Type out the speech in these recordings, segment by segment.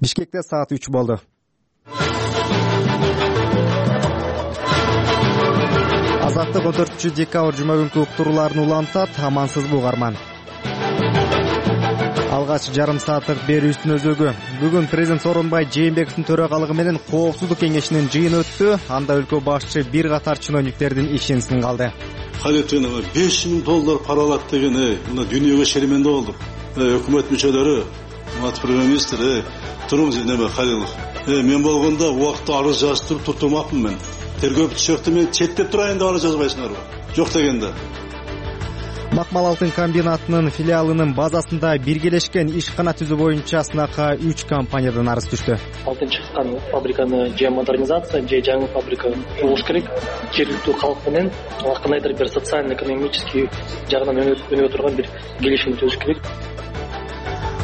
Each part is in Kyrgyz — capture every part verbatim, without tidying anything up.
Бишкекте саат үч болду. Азаттык он төртүнчү декабрь жума күнкү уктурууларын улантат. Амансызбы угарман? Алгач жарым сааттык берүүбүздүн өзөгү. Бүгүн президент Сооронбай Жээнбековдун төрагалыгы менен Коопсуздук кеңешинин жыйыны өттү. Анда өлкө башчы бир катар чиновниктердин ишин сынгалды. Кадеттен беш миң доллар пара алат деген, ey, мына дүйнөгө шерименде болдук. Өкмөт мүчөлөрү, мат премьер-министр, ey, туруңуз неме Халилов. Ey, мен болгондо убакытта арыз жазып туртурмакмын мен. Тергөө бүтүшөктү мен четтеп турайын деп арыз жазбайсыңарбы? Жок дегенде. Макмал алтын комбинатынын филиалынын базасында биргелешкен ишкана түзүү боюнча сынакка үч компаниядан арыз түштү. Алтын чыккан фабриканы же модернизация, же жаңы фабрика курулуш керек. Жергиликтүү калк менен кандайдыр бир социально-экономический жагынан өнүгө турган бир келишим түзүш керек.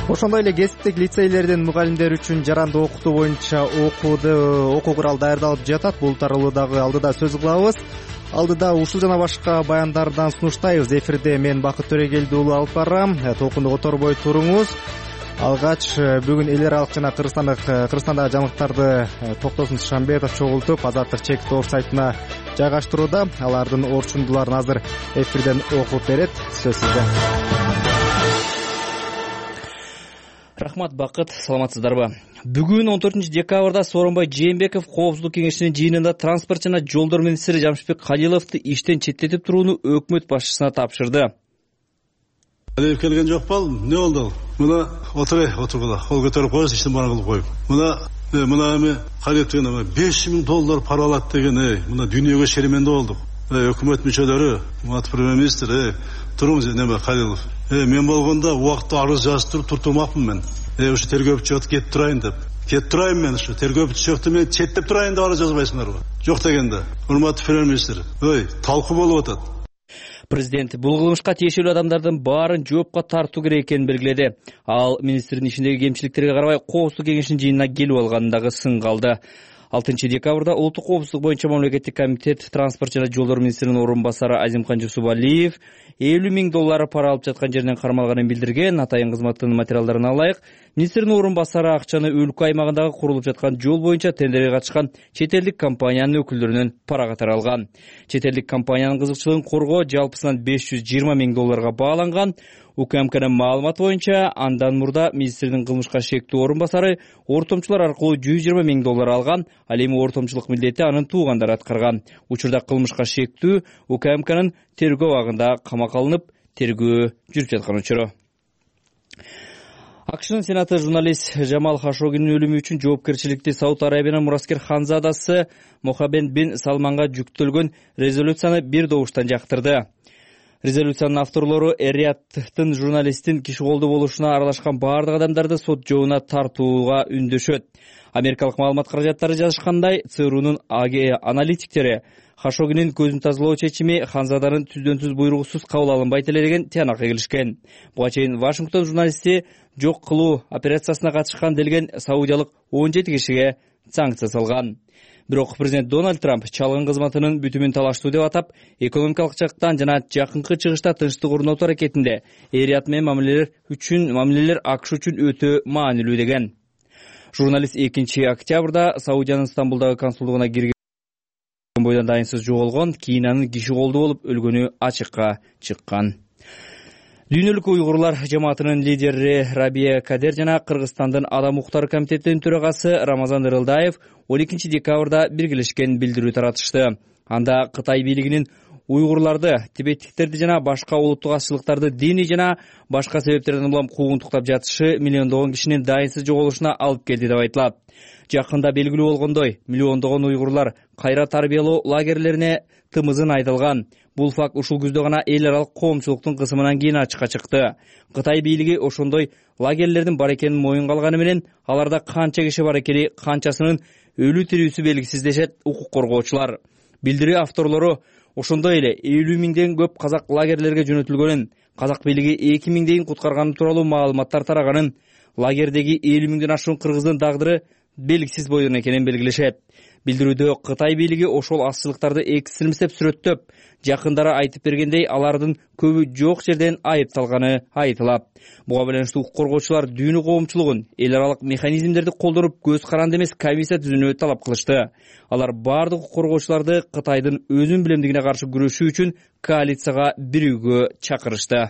Ошондой эле кесиптик лицейлердин мугалимдери үчүн жарандык окутуу боюнча окууду окуу курал даярдалып жатат. Бул тууралуу дагы алдыда сөз кылабыз. Алдыда ушул жана башка баяндардан сунуштайбыз. Эфирде мен Бакыт Төрегелди уулу алып барам. Толкунду которбой туруңуз. Алгач бүгүн эл аралык жана Кыргызстандык Кыргызстандагы жаңылыктарды Токтосун Шамбетов чогултуп Азаттык чек тор сайтына жайгаштырууда. Алардын орчундуларын азыр эфирден окуп берет. Сөз сизде. Рахмат Бакыт, саламатсыздарбы? Бүгүн он төртүнчү декабрда Сооронбай Жээнбеков Коопсуздук кеңешинин жыйынында транспорт жана жолдор министри Жамшитбек Калиловду иштен четтетип турууну өкмөт башчысына тапшырды. Калилов келген жок болду. Не болду? Мына отурай, отургула. Кол көтөрүп коюңуз, иштин баарын кылып коюп. Мына мына эми Калилов деген беш миң доллар пара алат деген, ey, мына дүйнөгө шерименде болдук. Өкмөт мүчөлөрү, мат премьер-министр, ey, туруңуз неме Калилов. Ey, мен болгондо убакытта арыз жазып туртурмакмын мен. Ey, ушу тергөө бүтүшөктү кетип турайын деп. Кетип турайын мен ушу тергөө бүтүшөктү мен четтеп турайын деп арыз жазбайсыңарбы? Жок дегенде. Урматтуу премьер-министр, ой, талкуу болуп атат. Президент бул кылмышка тиешелүү адамдардын баарын жоопко тартуу керек экенин белгиледи. Ал министрдин ишиндеги кемчиликтерге карабай Коопсуздук кеңешинин жыйынына келип алганын дагы сынгалды. алтынчы декабрда улуттук коопсуздук боюнча мамлекеттик комитет транспорт жана жолдор министринин орун басары Азимкан Жусупалиев элүү миң доллар пара алып жаткан жеринен кармалганын билдирген. Атайын кызматтын материалдарына алайык, министрдин орун басары акчаны өлкө аймагындагы курулуп жаткан жол боюнча тендерге катышкан чет элдик компаниянын өкүлдөрүнөн пара катары алган. Чет элдик компаниянын кызыкчылыгын коргоо жалпысынан беш жүз жыйырма миң долларга бааланган. УКМКнын маалыматы боюнча андан мурда министрдин кылмышка шектүү орун басары ортомчулар аркылуу жүз жыйырма миң доллар алган. Ал эми ортомчулук милдети анын туугандары аткарган. Учурда кылмышка шектүү УКМКнын тергөө абагында камакка алынып, тергөө жүрүп жаткан учуру. АКШнын сенаты журналист Жамал Хашогинин өлүмү үчүн жоопкерчиликти Сауд Арабиянын мураскер ханзадасы Мохаммед бин Салманга жүктөлгөн резолюцияны бир добуштан жактырды. Резолюциянын авторлору Эриаттын журналисттин киши колдуу болушуна аралашкан баардык адамдарды сот жообуна тартууга үндөшөт. Америкалык маалымат каражаттары жазышкандай, ЦРУнун аналитиктери Хашогинин көзүн тазалоо чечими ханзаданын түздөн түз буйругусуз кабыл алынбайт эле деген тыянакка келишкен. Буга чейин Вашингтон журналисти жок кылуу операциясына катышкан делген саудиялык он жети кишиге санкция салган. Бирок президент Дональд Трамп чалгын кызматынын бүтүмүн талаштуу деп атап, экономикалык жактан жана жакынкы чыгышта тынчтык орнотуу аракетинде Эриат менен мамилелер үчүн мамилелер АКШ үчүн өтө маанилүү деген. Журналист экинчи октябрда Саудиянын Стамбулдагы консулдугуна кирген бойдон дайынсыз жоголгон, кийин анын киши колдуу болуп өлгөнү ачыкка чыккан. Дүйнөлүк уйгурлар жамаатынын лидери Рабия Кадер жана Кыргызстандын Адам укуктары комитетинин төрагасы Рамазан Ырылдаев он экинчи декабрда биргелешкен билдирүү таратышты. Анда Кытай бийлигинин уйгурларды, тибеттиктерди жана башка улуттук азчылыктарды диний жана башка себептерден улам куугунтуктап жатышы миллиондогон кишинин дайынсыз жоголушуна алып келди деп айтылат. Жакында белгилүү болгондой, миллиондогон уйгурлар кайра тарбиялоо лагерлерине тымызын айдалган. Бул факт ушул күздө гана эл аралык коомчулуктун кысымынан кийин ачыкка чыкты. Кытай бийлиги ошондой лагерлердин бар экенин моюнга алганы менен аларда канча киши бар экени, канчасынын өлүү тирүүсү белгисиз дешет укук коргоочулар. Билдирүү авторлору ошондой эле элүү миңден көп казак лагерлерге жөнөтүлгөнүн, казак бийлиги эки миңдейин куткарганы тууралуу маалыматтар тараганын, лагердеги элүү миңден ашуун кыргыздын дагдыры белгисиз бойдон экенин белгилешет. Билдирүүдө Кытай бийлиги ошол азчылыктарды экстремисттеп сүрөттөп, жакындары айтып бергендей, алардын көбү жок жерден айыпталганы айтылат. Буга байланыштуу укук коргоочулар дүйнө коомчулугун эл аралык механизмдерди колдонуп, көз каранды эмес комиссия түзүүнү талап кылышты. Алар бардык укук коргоочуларды Кытайдын өзүн билемдигине каршы күрөшүү үчүн коалицияга бирүүгө чакырышты.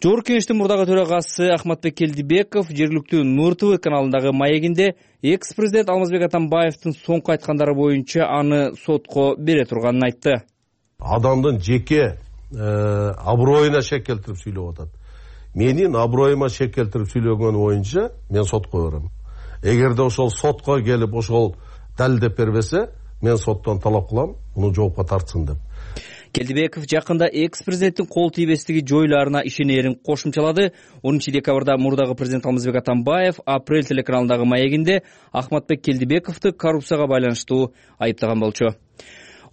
Жогорку Кеңештин мурдагы төрагасы Ахматбек Келдибеков жергиликтүү Нур ТВ каналындагы маегинде экс-президент Алмазбек Атамбаевдин соңку айткандары боюнча аны сотко бере турганын айтты. Адамдын жеке аброюна шек келтирип сүйлөп атат. Менин аброюма шек келтирип сүйлөгөн боюнча мен сотко берем. Эгерде ошол сотко келип ошол далилдеп бербесе, мен соттон талап кылам, муну жоопко тартсын деп. Келдибеков жакында экс-президенттин кол тийбестиги жойларына ишенерин кошумчалады. онунчу декабрда мурдагы президент Алмазбек Атамбаев Апрель телеканалындагы маегинде Ахматбек Келдибековду коррупцияга байланыштуу айыптаган болчу.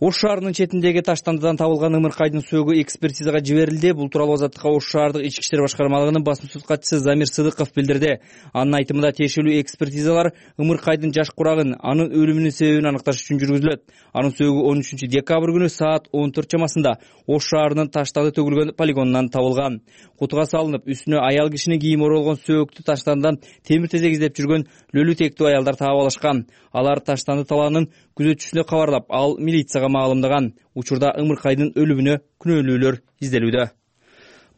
Ош шаарынын четиндеги таштандыдан табылган ымыркайдын сөөгү экспертизага жиберилди. Бул тууралуу Азаттыкка Ош шаардык ички иштер башкармалыгынын басма сөз катчысы Замир Сыдыков билдирди. Анын айтымында тиешелүү экспертизалар ымыркайдын жаш курагын, анын өлүмүнүн себебин аныкташ үчүн жүргүзүлөт. Анын сөөгү он үчүнчү декабрь күнү саат он төрт чамасында Ош шаарынын таштанды төгүлгөн полигонунан табылган. Кутуга салынып, үстүнө аял кишинин кийими оролгон сөөктү таштандан темир тезек издеп жүргөн лөлү тектүү аялдар таап алышкан. Алар таштанды талаанын күзөтчүсүнө кабарлап, ал милицияга маалымдаган. Учурда ымыркайдын өлүмүнө күнөөлүүлөр изделүүдө.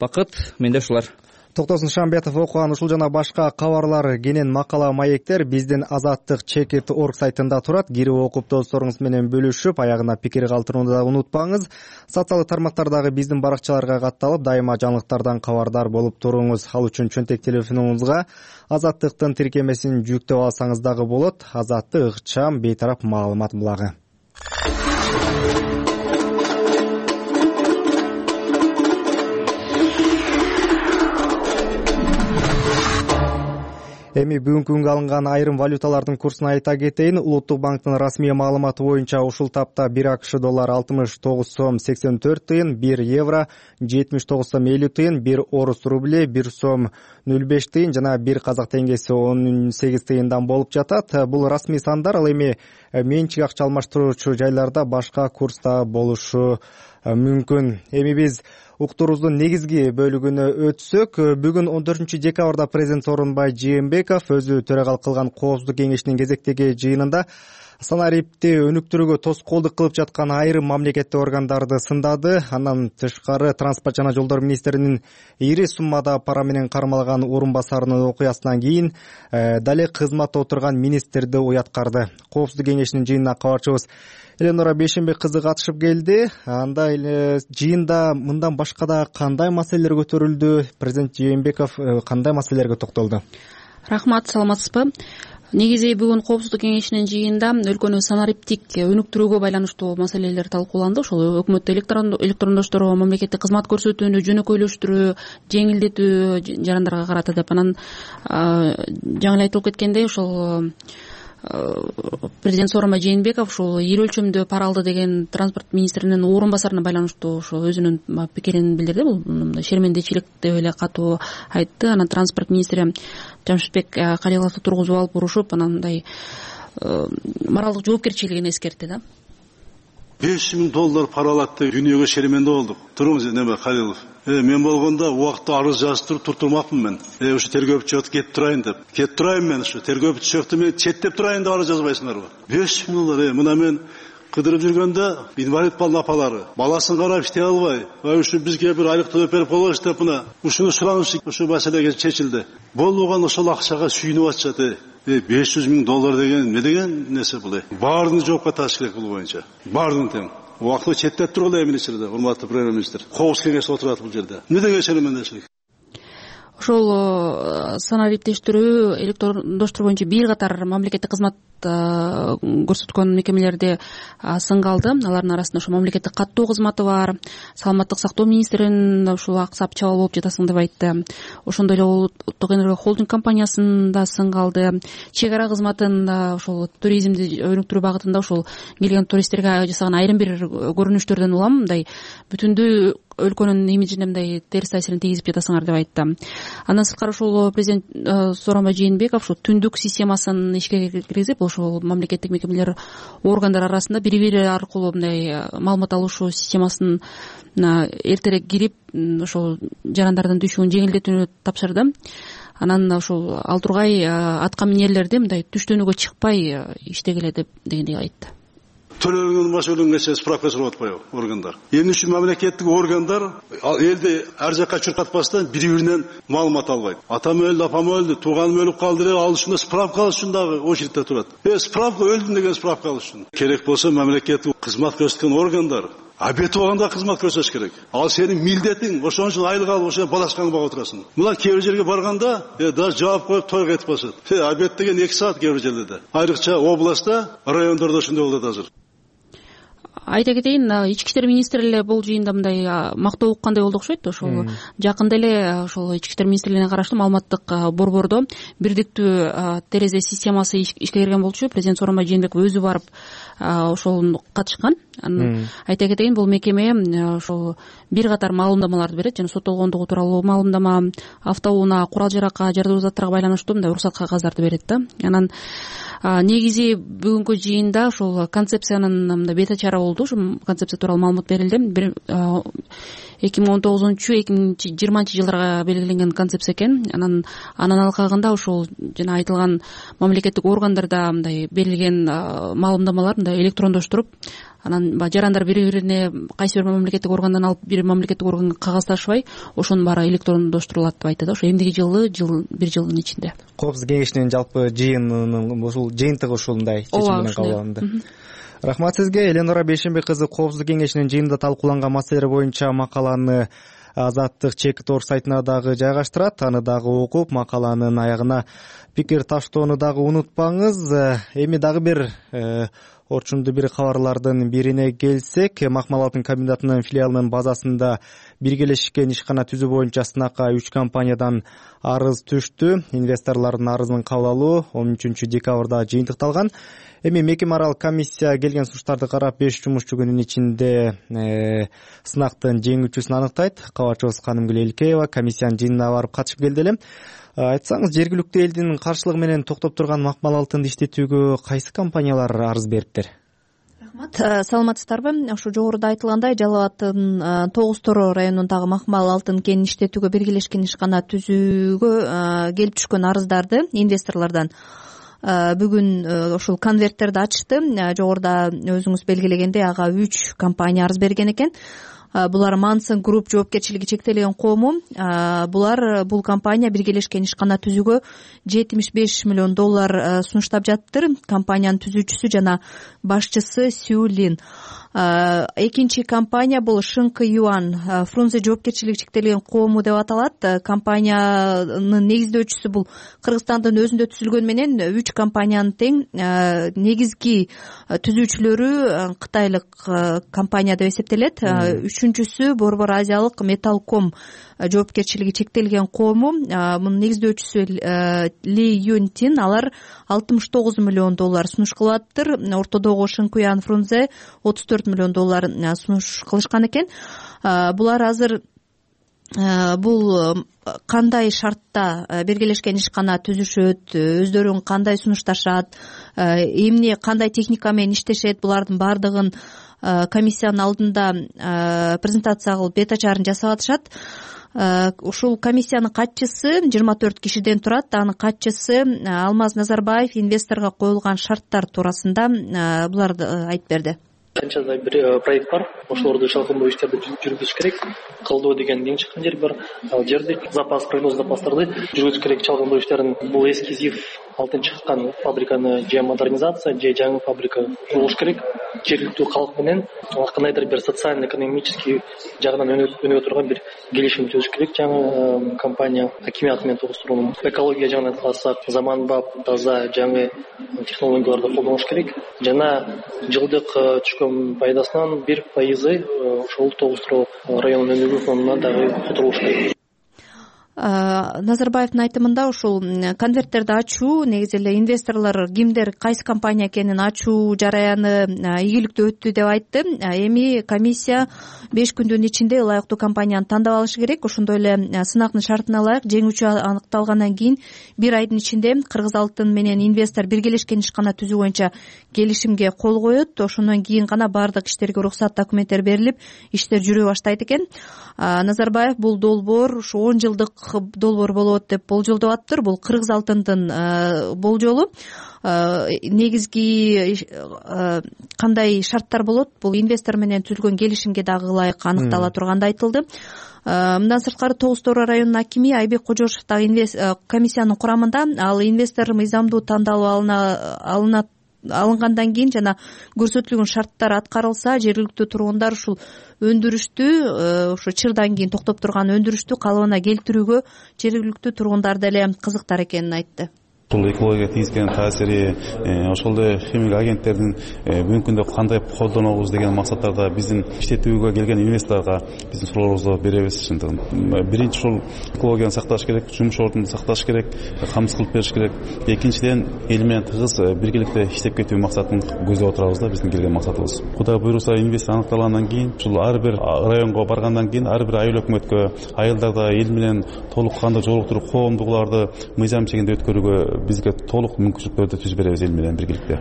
Бакыт, менде ушулар. Токтосун Шамбетов окуган ушул жана башка кабарлар кенен макала маектер биздин Азаттык чекит точка орг сайтында турат. Кирип окуп досторуңуз менен бөлүшүп, аягына пикир калтырууну да унутпаңыз. Социалдык тармактардагы биздин баракчаларга катталып, дайыма жаңылыктардан кабардар болуп туруңуз. Ал үчүн чөнтек телефонуңузга Азаттыктын тиркемесин жүктөп алсаңыз дагы болот. Азаттык ыкчам бейтарап маалымат булагы. Эми бүгүнкү күнгө алынган айрым валюталардын курсун айта кетейин. Улуттук банктын расмий маалыматы боюнча ушул тапта бир АКШ доллар алтымыш тогуз сом сексен төрт тыйын, бир евро жетимиш тогуз сом элүү тыйын, бир орус рубли бир сом нөл беш тыйын жана бир казак теңгеси он сегиз тыйындан болуп жатат. Бул расмий сандар, ал эми менчик акча алмаштыруучу жайларда башка курста болушу мүмкүн. Эми биз уктуруубуздун негизги бөлүгүнө өтсөк, бүгүн он төртүнчү декабрда президент Сооронбай Жээнбеков өзү төрагалык кылган Коопсуздук кеңешинин кезектеги жыйынында санарипти өнүктүрүүгө тоскоолдук кылып жаткан айрым мамлекеттик органдарды сындады. Андан тышкары транспорт жана жолдор министринин ири суммада пара менен кармалган орун басарынын окуясынан кийин дале кызматта отурган министрди уяткарды. Коопсуздук кеңешинин жыйынына кабарчыбыз Эленора Бейшенбек кызы катышып келди. Анда жыйында мындан башка да кандай маселелер көтөрүлдү? Президент Жээнбеков кандай маселелерге токтолду? Рахмат, саламатсызбы? Негизи бүгүн Коопсуздук кеңешинин жыйынында өлкөнү санариптик өнүктүрүүгө байланыштуу маселелер талкууланды. Ошол өкмөттө электрондошторго мамлекеттик кызмат көрсөтүүнү жөнөкөйлөштүрүү, жеңилдетүү жарандарга карата деп. Анан жаңы эле айтылып кеткендей, ошол президент Сооронбай Жээнбеков ушул ири өлчөмдө пара алды деген транспорт министринин орун басарына байланыштуу ошо өзүнүн пикирин билдирди. Бул мындай шермендечилик деп эле катуу айтты. Анан транспорт министри Жамшитбек Калиловду тургузуп алып урушуп, анан мындай моралдык жоопкерчилигин эскертти да. беш миң доллар пара алат деп дүйнөгө шеременде болдук. Туруңуз, неме Калилов. Э, мен болгондо убакытта арыз жазып туруп туртурмакмын мен. Э, ушу тергөөчү жок кетип турайын деп. Кетип турайын мен ушу тергөөчү жокто мен четтеп турайын деп арыз жазбайсыңарбы? беш миң доллар. Э, мына мен кыдырып жүргөндө инвалид балдын апалары баласын карап иштей албай, ушу бизге бир айлык төлөп берип койгоч деп мына ушуну сураныш, ушу маселеге чечилди. Болбогон ошол акчага сүйүнүп атышат. Э, беш жүз миң доллар деген эмне деген нерсе бул? Баарын жоопко тартыш керек бул боюнча. Баарын тең. Убактылуу четтеп тургула эмнечилерде, урматтуу премьер-министр. Коопсуздук кеңеш отурат бул жерде. Эмне деген шеремендечилик? Ошол санариптештирүү, электрондоштуруу боюнча бир катар мамлекеттик кызмат көрсөткөн мекемелерде сынга алды. Алардын арасында ошо мамлекеттик каттоо кызматы бар, саламаттык сактоо министринин ушул аксап чабал болуп жатасың деп айтты. Ошондой эле улуттук энерго холдинг компаниясында сынга алды. Чек ара кызматында ошол туризмди өнүктүрүү багытында ошол келген туристтерге жасаган айрым бир көрүнүштөрдөн улам мындай бүтүндүү өлкөнүн имиджине мындай терс таасирин тийгизип жатасыңар деп айтты. Андан сырткары ушул президент Сооронбай Жээнбеков ушул түндүк системасын ишке киргизип, ошол мамлекеттик мекемелер органдар арасында бири бири аркылуу мындай маалымат алышуу системасын эртерээк кирип, ошол жарандардын түшүүн жеңилдетүүнү тапшырды. Анан ушул ал тургай атка минерлерди мындай түштөнүүгө чыкпай иштегиле деп дегендей айтты. Төлөнгөн машөлөнгөнчө справка сурап атпайбы органдар? Эмне үчүн мамлекеттик органдар элди ар жакка чуркатпастан бири-биринен маалымат албайт? Атам өлдү, апам өлдү, тууганым өлүп калды деп ал үчүн справка алыш үчүн дагы очередьте турат. Э, справка өлдүм деген справка алыш үчүн. Керек болсо мамлекеттик кызмат көрсөткөн органдар обед убагында кызмат көрсөтүш керек. Ал сенин милдетиң, ошон үчүн айлык алып ошо балашкаңды багып отурасың. Мына кээ бир жерге барганда, э, даже жаап коюп тойго кетип басат. Э, обед деген эки саат кээ бир жерлерде. Айрыкча областта, райондордо ошондой болот азыр. Айта кетейин, ички иштер министри эле бул жыйында мындай мактоо уккандай болду окшойт. Ошол жакында эле ошол ички иштер министрлигине караштуу маалыматтык борбордо бирдиктүү терезе системасы ишке кирген болчу. Президент Сооронбай Жээнбеков өзү барып ошол катышкан. Анан айта кетейин, бул мекеме ошол бир катар маалымдамаларды берет, жана соттолгондугу тууралуу маалымдама, автоунаа, курал жаракка, жардуу заттарга байланыштуу мындай уруксат кагаздарды берет да. Анан негизи бүгүнкү жыйында ошол концепциянын мындай бет ачары болду. Ошол концепция тууралуу маалымат берилди. эки миң он тогузунчу эки миң жыйырманчы жылдарга белгиленген концепция экен. Анан анын алкагында ошол жана айтылган мамлекеттик органдарда мындай берилген маалымдамалар мындай электрондоштуруп, анан жарандар бири-бирине кайсы бир мамлекеттик органдан алып бир мамлекеттик органга кагазташпай, ошонун баары электрондоштурулат деп айтты да. Ошо эмдиги жылы жыл бир жылдын ичинде. Коопсуздук кеңешинин жалпы жыйынынын ушул жыйынтыгы ушундай чечим менен кабыл алынды. Рахмат сизге. Эленора Бейшенбек кызы Коопсуздук кеңешинин жыйынында талкууланган маселелер боюнча макаланы Азаттык Чекит Орг сайтына дагы жайгаштырат. Аны дагы окуп, макаланын аягына пикир таштоону дагы унутпаңыз. Эми дагы бир орчундуу бир кабарлардын бирине келсек, Макмал алтын комбинатынын филиалынын базасында биргелешкен ишкана түзүү боюнча сынакка үч компаниядан арыз түштү. Инвесторлордун арызын кабыл алуу он үчүнчү декабрда жыйынтыкталган. Эми мекеме аралык комиссия келген сунуштарды карап беш жумушчу күнүнүн ичинде э, сынактын жеңүүчүсүн аныктайт. Кабарчыбыз Канымгүл Элкеева комиссиянын жыйынына барып катышып келди эле. Айтсаңыз, жергиликтүү элдин каршылыгы менен токтоп турган Макмал алтынды иштетүүгө кайсы компаниялар арыз бериптир? Рахмат, саламатсыздарбы? Ошо жогоруда айтылгандай, Жалал абаддын тогуз Торо районундагы Макмал алтын кенин иштетүүгө биргелешкен ишкана түзүүгө келип түшкөн арыздарды инвесторлордон бүгүн ушул конверттерди ачышты. Жогоруда өзүңүз белгилегендей, ага үч компания арыз берген экен. Булар Мансон Групп жоопкерчилиги чектелген коому. Булар бул компания биргелешкен ишкана түзүүгө жетимиш беш миллион доллар сунуштап жаттыр. Компаниянын түзүүчүсү жана башчысы Сю Лин. Экинчи компания бул Шыңкы Юан Фрунзе жоопкерчилиги чектелген коому деп аталат. Компаниянын негиздөөчүсү бул Кыргызстандын өзүндө түзүлгөн менен үч компаниянын тең. Негизги түзүүчүлөрү кытайлык компания деп эсептелет. Үчүнчүсү Борбор Азиялык Металлком жоопкерчилиги чектелген коому. Мунун негиздөөчүсү Ли Юнтин. Алар алтымыш тогуз миллион доллар сунуш кылыптыр. Ортодогу Шыңкуян Фрунзе отуз төрт миллион доллар сунуш кылышкан экен. Булар азыр бул кандай шартта биргелешкен ишкана түзүшөт, өздөрүн кандай сунушташат, эмне кандай техника менен иштешет, булардын баардыгын комиссиянын алдында презентация кылып бет ачарын жасап атышат. Ушул комиссиянын катчысы жыйырма төрт кишиден турат. Анын катчысы Алмаз Назарбаев инвесторго коюлган шарттар туурасында буларды айтып берди. Канча да бир проект бар. Ошолорду чалкындоо иштерди жүргүзүш керек. Кылдоо деген эң чыккан жер бар. Ал жерде запас, прогноз запастарды жүргүзүш керек. Чалкындоо иштерин бул эскизив алтын чыккан фабриканы же модернизация, же жаңы фабрика курулуш керек. Жергиликтүү калк менен кандайдыр бир социально-экономический жагынан өнүгө турган бир келишим түзүш керек. Жаңы компания акимият менен тогуштурууну, экология жагынан карасак, заманбап, таза, жаңы технологияларды колдонуш керек. Жана жылдык түшкөн пайдасынан бир пайызы ошол тогуз Торо районунун өнүгүү фондуна дагы которулуш керек. Назарбаевдин айтымында ушул конверттерди ачуу негизи эле инвесторлор кимдер кайсы компания экенин ачуу жараяны ийгиликтүү өттү деп айтты. Эми комиссия беш күндүн ичинде ылайыктуу компанияны тандап алышы керек. Ошондой эле сынактын шартына ылайык жеңүүчү аныкталгандан кийин бир айдын ичинде Кыргыз алтын менен инвестор биргелешкен ишкана түзүү боюнча келишимге кол коет. Ошондон кийин гана баардык иштерге уруксат, документтер берилип, иштер жүрө баштайт экен. Назарбаев бул долбоор ушу он жылдык долбоор болот деп болжолдоп атыптыр. Бул Кыргыз алтындын болжолу. Негизги кандай шарттар болот? Бул инвестор менен түзүлгөн келишимге дагы ылайык аныктала турганды айтылды. Мындан сырткары Тогуз Тороо районунун акими Айбек Кожошев дагы комиссиянын курамында. Ал инвестор мыйзамдуу тандалып алынат алынгандан кийин жана көрсөтүлгөн шарттар аткарылса, жергиликтүү тургундар ушул өндүрүштү, ошо чырдан кийин токтоп турган өндүрүштү калыбына келтирүүгө жергиликтүү тургундар деле кызыктар экенин айтты. Бул экологияга тийгизген таасири, ошол эле химик агенттердин бүгүнкү күндө кандай колдонобуз деген максаттарда биздин иштетүүгө келген инвесторго биздин суроолорубузду беребиз. Чындыгын биринчи ушул экологияны сакташ керек, жумуш ордун сакташ керек, камсыз кылып бериш керек. Экинчиден эл менен тыгыз биргеликте иштеп кетүү максатын көздөп отурабыз да, биздин келген максатыбыз. Кудай буйруса, инвестор аныкталгандан кийин, ушул ар бир районго баргандан кийин ар бир айыл өкмөткө, айылдарда эл менен толук кандуу жолуктуруп, коомдугуларды мыйзам чегинде өткөрүүгө бизге толук мүмкүнчүлүктөрдү түзүп беребиз эл менен биргеликте.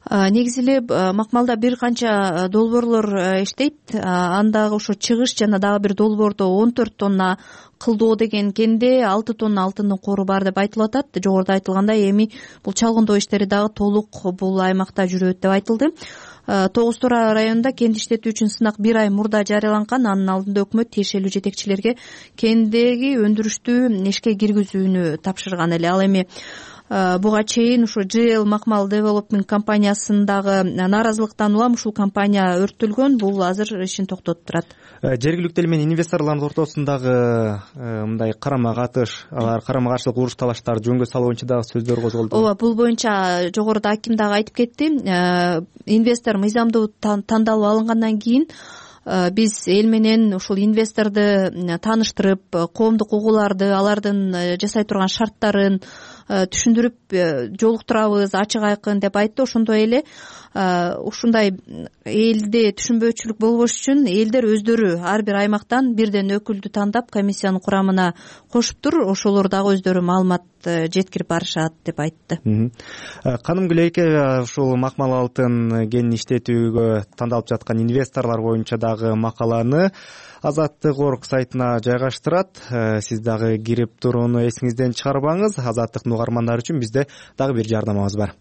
Негизи эле макмалда бир канча долбоорлор иштейт. Андагы ошо чыгыш жана дагы бир долбоордо он төрт тонна кылдоо деген кенде алты тонна алтындын кору бар деп айтылып атат. Жогоруда айтылгандай, эми бул чалгындоо иштери дагы толук бул аймакта жүрөт деп айтылды. Тогуз Тороо районунда кенди иштетүү үчүн сынак бир ай мурда жарыяланган. Анын алдында өкмөт тиешелүү жетекчилерге кендеги өндүрүштү ишке киргизүүнү тапшырган эле. Ал эми буга чейин ушу джи эл Макмал Development компаниясындагы нааразылыктан улам ушул компания өрттөлгөн. Бул азыр ишин токтотуп турат. Жергиликтүү эл менен инвесторлордун ортосундагы мындай карама катыш, алар карама каршылык уруш талаштарды жөнгө салуу боюнча дагы сөздөр козголду. Ооба, бул боюнча жогоруда аким дагы айтып кетти. Инвестор мыйзамдуу тандалып алынгандан кийин биз эл менен ушул инвесторду тааныштырып, коомдук угууларды, алардын жасай турган шарттарын түшүндүрүп жолуктурабыз, ачык айкын деп айтты. Ошондой эле ушундай элде түшүнбөөчүлүк болбош үчүн элдер өздөрү ар бир аймактан бирден өкүлдү тандап комиссиянын курамына кошуптур. Ошолор дагы өздөрү маалымат жеткирип барышат деп айтты. Канымгүл эйке, ушул Макмал алтын кенин иштетүүгө тандалып жаткан инвесторлор боюнча дагы макаланы Азаттык орг сайтына жайгаштырат. Сиз дагы кирип турууну эсиңизден чыгарбаңыз. Азаттыктын угармандары үчүн бизде дагы бир жардамыбыз бар.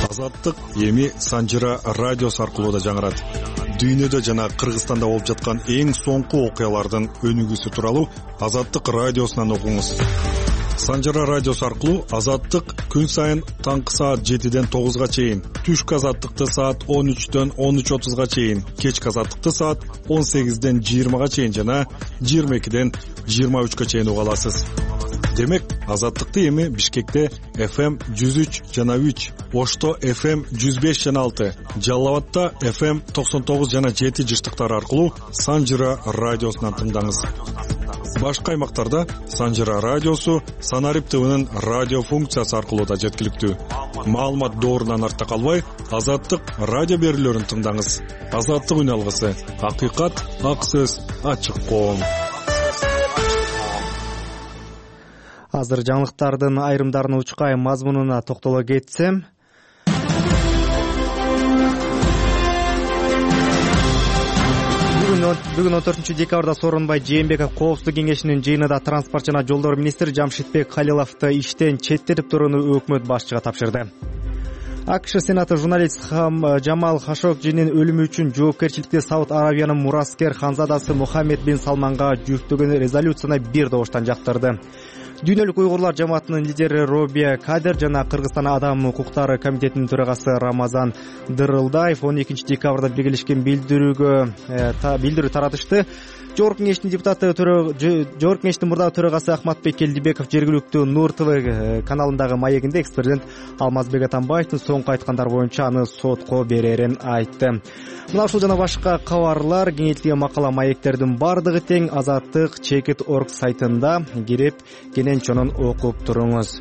Азаттык эми Санжыра радиосу аркылуу да жаңырат. Дүйнөдө жана Кыргызстанда болуп жаткан эң соңку окуялардын өнүгүүсү тууралуу Азаттык радиосунан окуңуз. Санжыра радиосу аркылуу Азаттык күн сайын таңкы саат жетиден тогузга чейин, түшкү Азаттыкты саат он үчтөн он үч отузга чейин, кечки Азаттыкты саат он сегизден жыйырмага чейин жана жыйырма экиден жыйырма үчкө чейин уга аласыз. Демек, Азаттыкты эми Бишкекте эф эм жүз үч жана үч, Ошто эф эм жүз беш жана алты, Жалал абадта эф эм токсон тогуз жана жети жыштыктары аркылуу Санжыра радиосунан тыңдаңыз. Башка аймактарда Санжыра радиосу Санарип ТВнын радио функциясы аркылуу да жеткиликтүү. Маалымат доорунан артта калбай, Азаттык радио берүүлөрүн тыңдаңыз. Азаттык үн алгысы, акыйкат, ак сөз, ачык коом. Азыр жаңылыктардын айрымдарына учкай мазмунуна токтоло кетсем, бүгүн он төртүнчү декабрда Сооронбай Жээнбеков Коопсуздук кеңешинин жыйынында транспорт жана жолдор министри Жамшитбек Халиловду иштен четтетип турууну өкмөт башчыга тапшырды. АКШ Сенаты журналист Жамал Хашогжинин өлүмү үчүн жоопкерчиликти Сауд Арабиянын мураскер ханзадасы Мухаммед бин Салманга жүктөгөн резолюцияны бир добуштан жактырды. Дүйнөлүк уйгурлар жамаатынын лидери Робия Кадер жана Кыргызстан адам укуктары комитетинин төрагасы Рамазан Дырылдаев он экинчи декабрда биргелешкен билдирүүгө билдирүү таратышты. жогорку кеңештин депутаты жогорку кеңештин мурдагы төрагасы Ахматбек Келдибеков жергиликтүү Нур ТВ каналындагы маегинде экс-президент Алмазбек Атамбаевдин соңку айткандары боюнча аны сотко берерин айтты. Мына ушул жана башка кабарлар, кеңейтилген макала маектердин бардыгы тең Азаттык чекит точка орг сайтында кирип кенен чонун окуп туруңуз.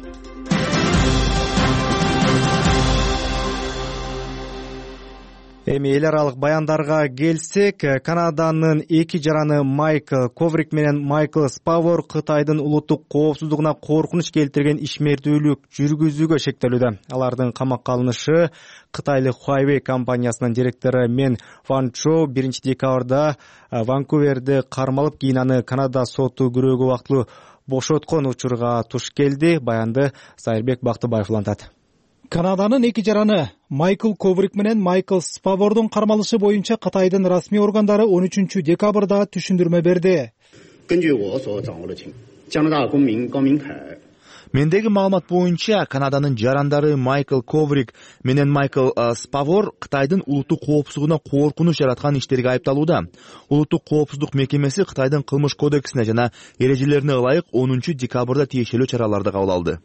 Эми эл аралык баяндарга келсек, Канаданын эки жараны Майкл Коврик менен Майкл Спавор Кытайдын улуттук коопсуздугуна коркунуч келтирген ишмердүүлүк жүргүзүүгө шектелүүдө. Алардын камакка алынышы Кытайлык Huawei компаниясынын директору Мен Ван Чжоу биринчи декабрда Ванкуверде кармалып, кийин аны Канада соту күрөөгө убактылуу бошоткон учурга туш келди. Баянды Сайырбек Бактыбаев улантат. Канаданын эки жараны Майкл Коврик менен Майкл Спавордун кармалышы боюнча Кытайдын расмий органдары он үчүнчү декабрда түшүндүрмө берди. Мендеги маалымат боюнча Канаданын жарандары Майкл Коврик менен Майкл Спавор Кытайдын улуттук коопсуздугуна коркунуч жараткан иштерге айыпталууда. Улуттук коопсуздук мекемеси Кытайдын кылмыш кодексине жана эрежелерине ылайык онунчу декабрда тиешелүү чараларды кабыл алды.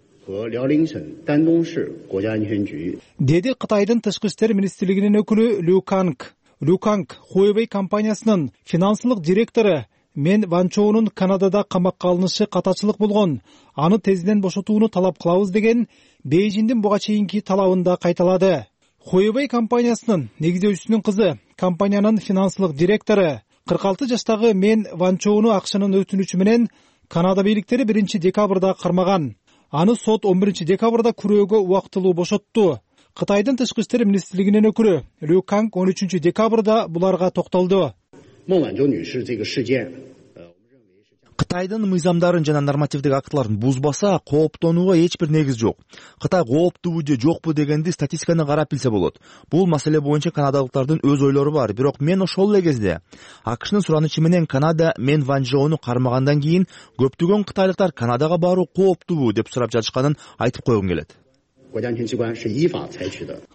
Деди Кытайдын тышкы иштер министрлигинин өкүлү Лю Канг. Лю Канг Huawei компаниясынын финансылык директору Мен Ван Чжоунун Канадада камакка алынышы катачылык болгон, аны тезинен бошотууну талап кылабыз деген Бейжиңдин буга чейинки талабында кайталады. Huawei компаниясынын негиздөөчүсүнүн кызы, компаниянын финансылык директору кырк алты жаштагы Мен Ван Чжоуну акчанын өтүнүчү менен Канада бийликтери биринчи декабрда кармаган. Аны сот он биринчи декабрда күрөөгө убактылуу бошотту. Кытайдын тышкы иштер министрлигинин өкүлү Лю Канг он үчүнчү декабрда буларга токтолду. Кытайдын мыйзамдарын жана нормативдик актыларын бузбаса, кооптонууга эч бир негиз жок. Кытай кооптуубу же жокпу дегенди статистиканы карап билсе болот. Бул маселе боюнча канадалыктардын өз ойлору бар, бирок мен ошол эле кезде АКШнын суранычы менен Канада Мен Ван Чжоуну кармагандан кийин көптөгөн кытайлыктар Канадага баруу кооптуубу деп сурап жатышканын айтып койгум келет.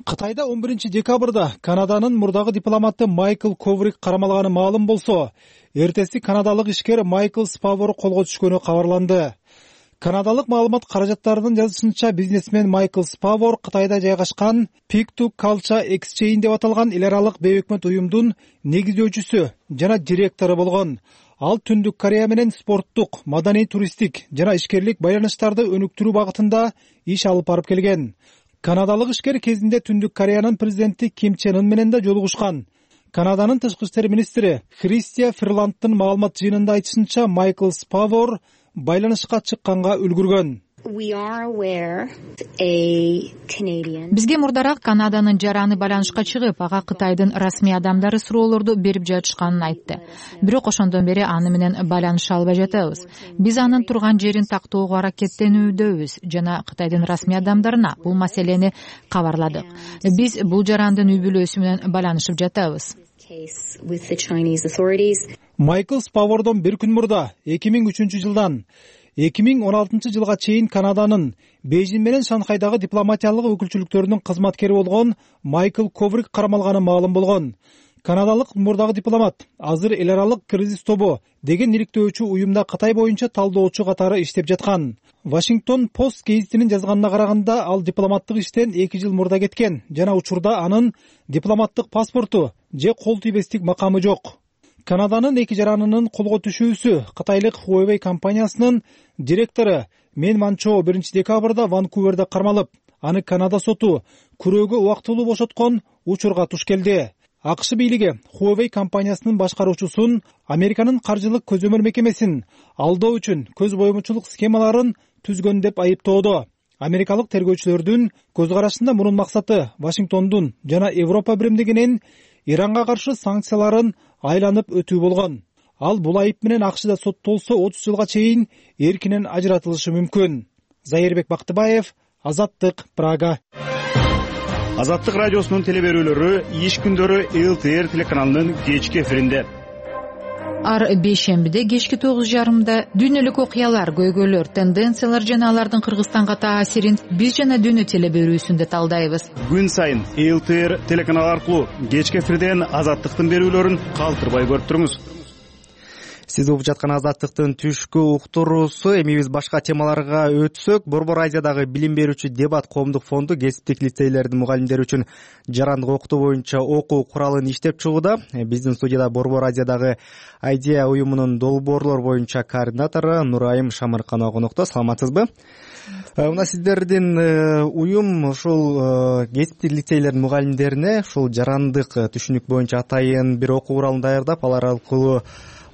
Кытайда он биринчи декабрда Канаданын мурдагы дипломаты Майкл Коврик кармалганы маалым болсо, эртеси канадалык ишкер Майкл Спавор колго түшкөнү кабарланды. Канадалык маалымат каражаттарынын жазышынча, бизнесмен Майкл Спавор Кытайда жайгашкан Pig to Culture Exchange деп аталган эл аралык бейөкмөт уюмдун негиздөөчүсү жана директору болгон. Ал Түндүк Корея менен спорттук, маданий, туристтик жана ишкерлик байланыштарды өнүктүрүү багытында иш алып барып келген. Канадалык ишкер кезинде Түндүк Кореянын президенти Ким Чен Ын менен да жолугушкан. Канаданын тышкы иштер министри Христия Ферландтын маалымат жыйынында айтышынча, Майкл Спавор байланышка чыкканга үлгүргөн. Бизге мурдараак Канаданын жараны байланышка чыгып, ага Кытайдын расмий адамдары суроолорду берип жатышканын айтты. Бирок ошондон бери аны менен байланыша албай жатабыз. Биз анын турган жерин тактоого аракеттенүүдөбүз жана Кытайдын расмий адамдарына бул маселени кабарладык. Биз бул жарандын үй бүлөсү менен байланышып жатабыз. Майкл Спавордон бир күн мурда эки миң үчүнчү жылдан эки миң он алтынчы жылга чейин Канаданын Бейжиң менен Шанхайдагы дипломатиялык өкүлчүлүктөрүнүн кызматкери болгон Майкл Коврик кармалганы маалым болгон. Канадалык мурдагы дипломат азыр эл аралык кризис тобу деген иликтөөчү уюмда Кытай боюнча талдоочу катары иштеп жаткан. Вашингтон Пост гезитинин жазганына караганда, ал дипломаттык иштен эки жыл мурда кеткен жана учурда анын дипломаттык паспорту же кол тийбестик макамы жок. Канаданын эки жаранынын колго түшүүсү Кытайлык Huawei компаниясынын директору Мен Ван Чжоу биринчи декабрда Ванкуверде кармалып, аны Канада соту күрөөгө убактылуу бошоткон учурга туш келди. АКШ бийлиги Huawei компаниясынын башкаруучусун Американын каржылык көзөмөл мекемесин алдоо үчүн көз боомочулук схемаларын түзгөн деп айыптоодо. Америкалык тергөөчүлөрдүн көз карашында мунун максаты Вашингтондун жана Европа биримдигинин Иранга каршы санкцияларын айланып өтүү болгон. Ал бул айып менен АКШда соттолсо отуз жылга чейин эркинен ажыратылышы мүмкүн. Зайырбек Бактыбаев, Азаттык, Прага. Азаттык радиосунун телеберүүлөрү иш күндөрү эл тэ эр телеканалынын кечки эфиринде. Ар бейшембиде кечки тогуз жарымда дүйнөлүк окуялар, көйгөйлөр, тенденциялар жана алардын Кыргызстанга таасирин биз жана дүйнө телеберүүсүндө талдайбыз. Күн сайын эл тэ эр телеканалы аркылуу кечки эфирден Азаттыктын берүүлөрүн калтырбай көрүп туруңуз. сиз угуп жаткан Азаттыктын түшкү уктуруусу. Эми биз башка темаларга өтсөк, Борбор Азиядагы билим берүүчү дебат коомдук фонду кесиптик лицейлердин мугалимдери үчүн жарандык окутуу боюнча окуу куралын иштеп чыгууда. Биздин студияда Борбор Азиядагы Айдея уюмунун долбоорлор боюнча координатору Нурайым Шамырканова конокто. Саламатсызбы? Мына сиздердин уюм ушул кесиптик лицейлердин мугалимдерине ушул жарандык түшүнүк боюнча атайын бир окуу куралын даярдап, алар аркылуу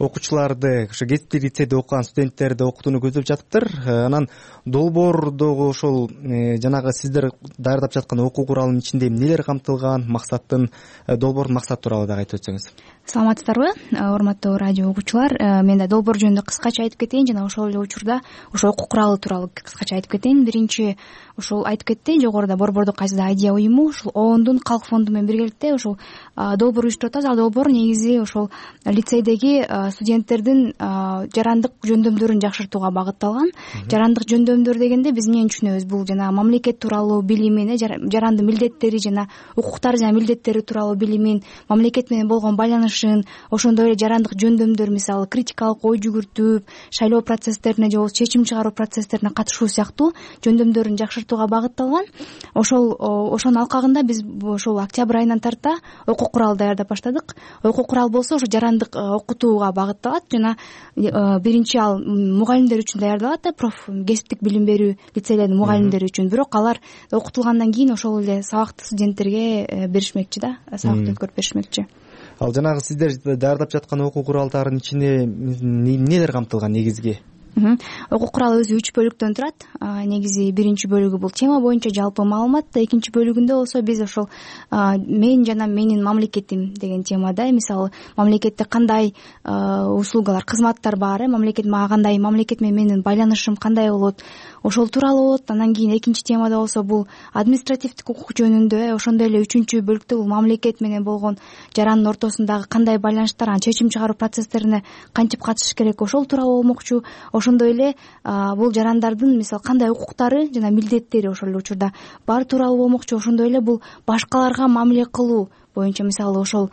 окуучуларды, ушу кесиптик лицейде окуган студенттерди окутууну көздөп жатыптыр. Анан долбоордогу ушул жанагы сиздер даярдап жаткан окуу куралынын ичинде эмнелер камтылган, максаттын, долбоордун максаты тууралуу дагы айтып өтсөңүз. Саламатсыздарбы, урматтуу радио угуучулар? Мен да долбоор жөнүндө кыскача айтып кетейин жана ошол эле учурда ошол окуу куралы тууралуу кыскача айтып кетейин. Биринчи ушул айтып кетти, жогоруда Борбордук Азияда Айдея уюму ушул оондун калк фонду менен биргеликте ушул долбоор уюштуруп атабыз. Ал долбоор негизи ошол лицейдеги студенттердин жарандык жөндөмдөрүн жакшыртууга багытталган. Жарандык жөндөмдөр дегенде биз эмнени түшүнөбүз? Бул жана мамлекет тууралуу билимин, жарандын милдеттери жана укуктары жана милдеттери тууралуу билимин, мамлекет менен болгон байланышын, ошондой эле жарандык жөндөмдөр, мисалы критикалык ой жүгүртүп, шайлоо процесстерине же болбосо чечим чыгаруу процесстерине катышуу сыяктуу жөндөмдөрүн жакшыртууга багытталган. Ошол ошонун алкагында биз ошол октябрь айынан тарта окуу курал даярдап баштадык. Окуу курал болсо ошо жарандык окутууга багытталат жана биринчи ал мугалимдер үчүн даярдалат да, проф кесиптик билим берүү лицейлердин мугалимдери үчүн. Бирок алар окутулгандан кийин ошол эле сабакты студенттерге беришмекчи да, сабакты өткөрүп беришмекчи. Ал жанагы сиздер даярдап жаткан окуу куралдардын ичине эмнелер камтылган негизги? Окуу куралы өзү үч бөлүктөн турат. Негизи биринчи бөлүгү бул тема боюнча жалпы маалымат, экинчи бөлүгүндө болсо биз ошол мен жана менин мамлекетим деген темада, мисалы мамлекетте кандай услугалар, кызматтар бар, мамлекет мага кандай, мамлекет менен менин байланышым кандай болот, ошол тууралуу болот. Анан кийин экинчи темада болсо бул административдик укук жөнүндө, ошондой эле үчүнчү бөлүктө бул мамлекет менен болгон жарандын ортосундагы кандай байланыштар, анан чечим чыгаруу процесстерине кантип катышыш керек, ошол тууралуу болмокчу. Ошондой эле бул жарандардын мисалы кандай укуктары жана милдеттери ошол эле учурда бар тууралуу болмокчу. Ошондой эле бул башкаларга мамиле кылуу боюнча, мисалы ошол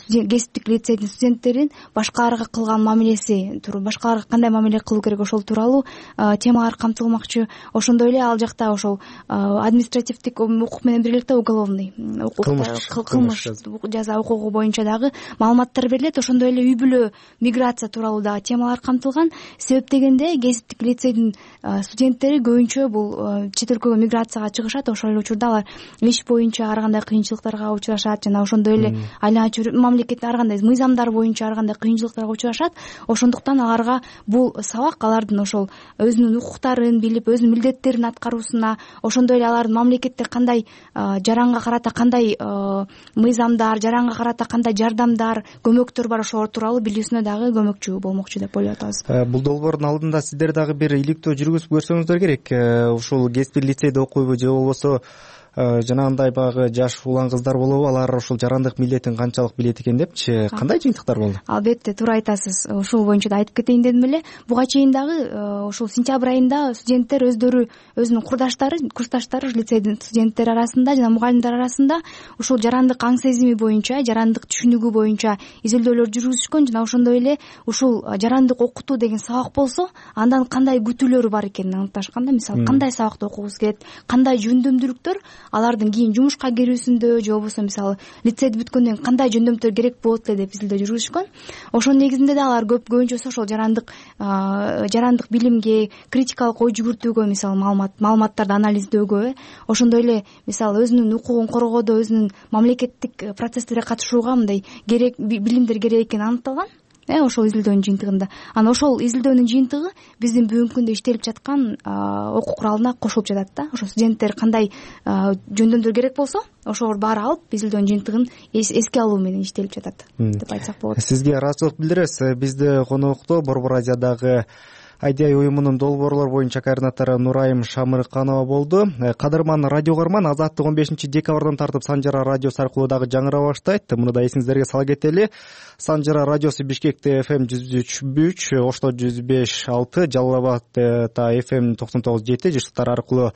кесиптик лицейдин студенттерин башкаларга кылган мамилеси, башкаларга кандай мамиле кылуу керек, ошол тууралуу темалар камтылмакчы. Ошондой эле ал жакта ошол административдик укук менен биргеликте уголовный кылмыш жаза укугу боюнча дагы маалыматтар берилет. Ошондой эле үй бүлө, миграция тууралуу дагы темалар камтылган. Себеп дегенде кесиптик лицейдин студенттери көбүнчө бул чет өлкөгө миграцияга чыгышат. Ошол эле учурда алар иш боюнча ар кандай кыйынчылыктарга учурашат жана ошондой эле айланчы мамлекет ар кандай мыйзамдар боюнча ар кандай кыйынчылыктарга учурашат. Ошондуктан аларга бул сабак алардын ошол өзүнүн укуктарын билип, өзүнүн милдеттерин аткаруусуна, ошондой эле алардын мамлекетте кандай жаранга карата кандай мыйзамдар, жаранга карата кандай жардамдар, көмөктөр бар, ошол тууралуу билүүсүнө дагы көмөкчү болмокчу деп ойлоп атабыз. Бул долбоордун алдында сиздер дагы бир иликтөө жүргүзүп көрсөңүздөр керек. Ушул кесиптик лицейде окуйбу же болбосо жанагындай баягы жаш улан кыздар болобу, алар ушул жарандык милдетин канчалык билет экен депчи, кандай жыйынтыктар болду? Албетте, туура айтасыз. Ушул боюнча да айтып кетейин дедим эле. Буга чейин дагы ушул сентябрь айында студенттер өздөрү, өзүнүн курдаштары, курсташтары, лицейдин студенттери арасында жана мугалимдер арасында ушул жарандык аң сезими боюнча, жарандык түшүнүгү боюнча изилдөөлөр жүргүзүшкөн жана ошондой эле ушул жарандык окутуу деген сабак болсо, андан кандай күтүүлөрү бар экенин аныкташкан да. Мисалы, кандай сабакты окугубуз келет, кандай жөндөмдүүлүктөр алардын кийин жумушка кирүүсүндө же болбосо мисалы лицейди бүткөндөн кийин кандай жөндөмдөр керек болот эле деп изилдөө жүргүзүшкөн. Ошонун негизинде да алар көп көбүнчөсү ошол жарандык жарандык билимге, критикалык ой жүгүртүүгө, мисалы маалымат маалыматтарды анализдөөгө, ошондой эле мисалы өзүнүн укугун коргоодо, өзүнүн мамлекеттик процесстерге катышууга мындай керек билимдер керек экени аныкталган. Э ошол изилдөөнүн жыйынтыгында. Анан ошол изилдөөнүн жыйынтыгы биздин бүгүнкү күндө иштелип жаткан окуу куралына кошулуп жатат да. Ошо студенттер кандай жөндөмдөр керек болсо, ошолор баары алып изилдөөнүн жыйынтыгын эске алуу менен иштелип жатат деп айтсак болот. Сизге ыраазычылык билдиребиз. Бизде конокто Борбор Азиядагы Айдея уюмунун долбоорлор боюнча координатору Нурайым Шамырканова болду. Кадырман радио көрөрман, Азаттык он бешинчи декабрдан тартып Санжара радиосу аркылуу дагы жаңыра баштайт. Муну да эсиңиздерге сала кетели. Санжара радиосу Бишкекте эф эм жүз үч үч, Ошто жүз беш алты, Жалал абадта эф эм токсон тогуз жети жыштар аркылуу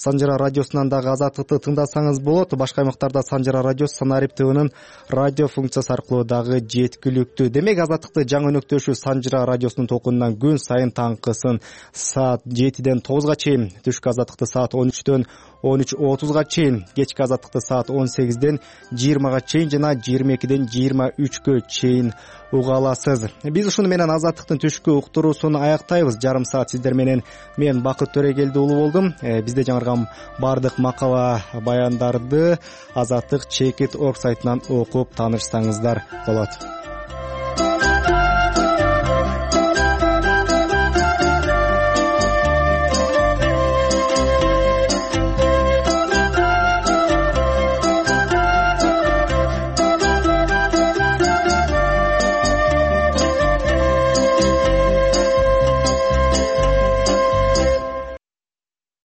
Санжара радиосунан дагы Азаттыкты тыңдасаңыз болот. Башка аймактарда Санжара радиосу Санарип ТВнын радио функциясы аркылуу дагы жеткиликтүү. Демек Азаттыкты жаңы өнөктөшү Санжара радиосунун толкунунан күн сайын таңкысын саат жетиден тогузга чейин, түшкү Азаттыкты саат он үчтөн он үч отузга чейин, кечки Азаттыкты саат он сегизден жыйырмага чейин жана жыйырма экиден жыйырма үчкө чейин уга аласыз. Биз ушуну менен Азаттыктын түшкү уктуруусун аяктайбыз. Жарым саат сиздер менен мен Бакыт Төрегелди уулу болдум. Бизде жаңырган бардык макала баяндарды Азаттык чекит орг сайтынан окуп таанышсаңыздар болот.